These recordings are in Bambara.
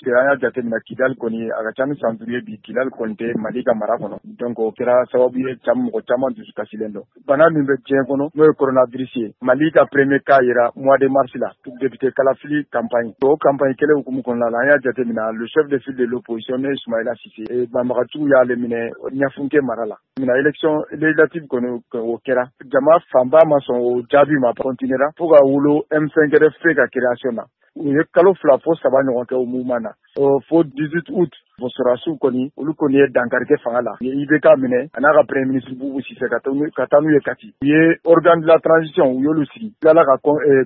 An y'a jateminɛ, Kidali kɔni, a ka ca ni san 5 ye bi, Kidali kɔni tɛ Mali ka mara kɔnɔ. Donc o kɛra sababu ye, mɔgɔ caman dusu kasilen don. Bana min bɛ diɲɛ kɔnɔ, n'o ye coronavirus ye, Mali ka premier cas yera mois de mars la, député kalafili campagne. O campagne kelen hukumu kɔnɔna la, an y'a jateminɛ, le chef de file de l'opposition, n'o ye Sumayila Sise, banbagatiw y'ale minɛ Ɲafunke mara la. Mina élection législative kɔni, o kɛra, jama fanba ma sɔn o jaabi ma, continuera fo ka wolo M5 RFP ka création na. U ye kalo 2 fo 3 ɲɔgɔn kɛ o mouvement na, fo 18 août, sɔrɔdasiw kɔni, olu kɔni ye dankari kɛ fanga la. U ye IBK minɛ, a n'a ka premier ministre Bubu Sise, ka taa n'u ye Kati. U ye organe de la transition, u y'olu sigi, tilala ka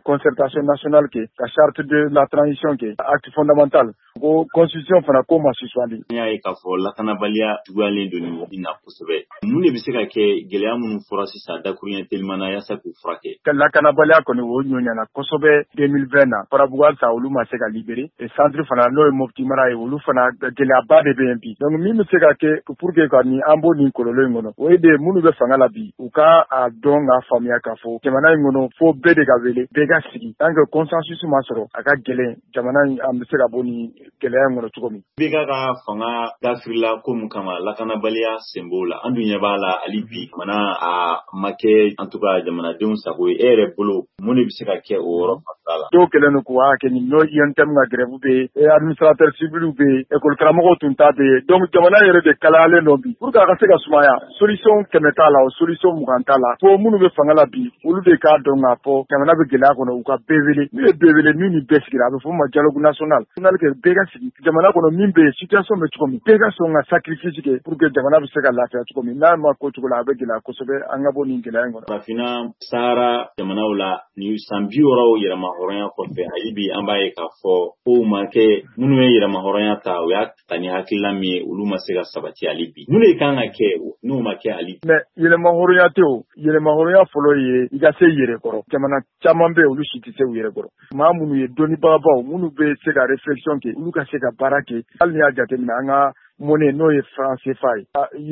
concertation nationale kɛ, ka charte de la transition kɛ, acte fondamental, ko constitution fana ko ma suspendu. An y'a ye k'a fɔ lakanabaliya juguyalen don nin wagati na kosɛbɛ. Mun de bɛ se ka kɛ gɛlɛya minnu fɔra sisan dakuruɲɛ teliman na yaasa k'u furakɛ? Lakanabaliya kɔni, o ɲɔɲana kosɛbɛ 2020 na. Farabugu halisa, olu ma se ka libérer. Centre fana, n'o ye Mopti mara ye, olu fana gɛlɛyaba de bɛ yen bi. Donc min bɛ se ka kɛ pour que ka nin an bɔ nin kɔlɔlɔ in kɔnɔ, o ye de minnu bɛ fanga la bi, u ka a dɔn k'a faamuya k'a fɔ jamana in kɔnɔ, fo bɛɛ de ka wele, bɛɛ ka sigi. Tant que consensus ma sɔrɔ, a ka gɛlɛn jamana in an bɛ se ka bɔ nin gɛlɛya in kɔnɔ cogo min. IBK ka fanga dafirila ko mun kama, lakanabaliya sen b'o la. An dun ɲɛ b'a la hali bi, jamana a ma kɛ en tout cas jamanadenw sago ye. E yɛrɛ bolo, mun de bɛ se ka kɛ o yɔrɔ fanfɛla la? Dɔw kɛlen don k'u hakɛ ɲini, n'o UNTM ka grève bɛ yen, administrateur civil bɛ yen, école karamɔgɔw tun ta bɛ yen. Donc jamana yɛrɛ de kalayalen don bi. Pour que a ka se ka sumaya, solution 100 t'a la, o solution 20 t'a la. Fo minnu bɛ fanga la bi, olu de k'a dɔn k'a fɔ jamana bɛ gɛlɛya kɔnɔ, u ka bɛɛ wele. N'u ye bɛɛ wele, min ni bɛɛ sigira, a bɛ fɔ o ma dialogue national. Kɛ bɛɛ ka sigi jamana kɔnɔ, min bɛ yen, situation bɛ cogo min, bɛɛ ka sɔn ka sacrifice kɛ pour que jamana bɛ se ka lafiya cogo min. N'a ma ko cogo la, a bɛ gɛlɛya kosɛbɛ an ka bɔ nin gɛlɛya in kɔnɔ. Farafinna Sahara jamanaw la, ni san 60 yɛrɛma hɔrɔnya kɔfɛ, hali bi an b'a ye k'a fɔ kow ma kɛ. Minnu ye yɛrɛma hɔrɔnya ta, o y'a ta ni hakilina min ye, olu ma se ka sabati hali bi. Mun de kan ka kɛ n'o ma kɛ hali bi? Mais yɛlɛma hɔrɔnya tɛ o. Yɛlɛma hɔrɔnya fɔlɔ ye i ka se yɛrɛ kɔrɔ. Jamana caman bɛ yen, olu si tɛ se u yɛrɛ kɔrɔ. Maa minnu ye dɔnnibagabaw, minnu bɛ se ka réflexion kɛ, olu ka se ka baara kɛ. Hali n'i y'a jateminɛ, an ka monnaie, n'o ye franc CFA ye,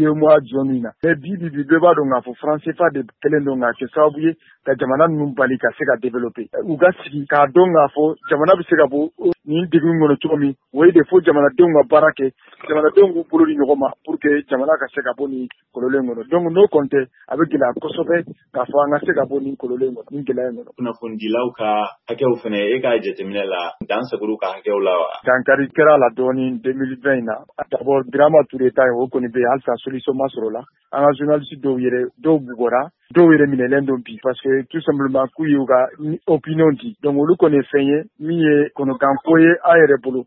UEMOA zone in na, mais bi bi bi, bɛɛ b'a dɔn k'a fɔ franc CFA de kɛlen don k'a kɛ sababu ye ka jamana ninnu bali ka se ka développer. U ka sigi k'a dɔn k'a fɔ jamana bɛ se ka bɔ nin degun kɔnɔ cogo min, o ye de fo jamanadenw ka baara kɛ, jamanadenw k'u bolo di ɲɔgɔn ma pour que jamana ka se ka bɔ nin kɔlɔlɔ in kɔnɔ. Donc n'o kɔni tɛ, a bɛ gɛlɛya kosɛbɛ k'a fɔ an ka se ka bɔ nin kɔlɔlɔ in kɔnɔ, nin gɛlɛya in kɔnɔ. Kunnafonidilaw ka hakɛw fana, e ka jateminɛ la, dan saguru ka hakɛw la wa? Dankari kɛra la dɔɔni 2020 in na. D'abord, Birama Touré ta ye, o kɔni bɛ yen halisa, solution ma sɔrɔ o la. An ka journaliste dɔw yɛrɛ, dɔw bugɔra, dɔw yɛrɛ minɛlen don bi, parce que tout simplement k'u y'u ka opinion di. Donc olu kɔni ye fɛn ye min ye kɔnɔkanko ye an yɛrɛ bolo.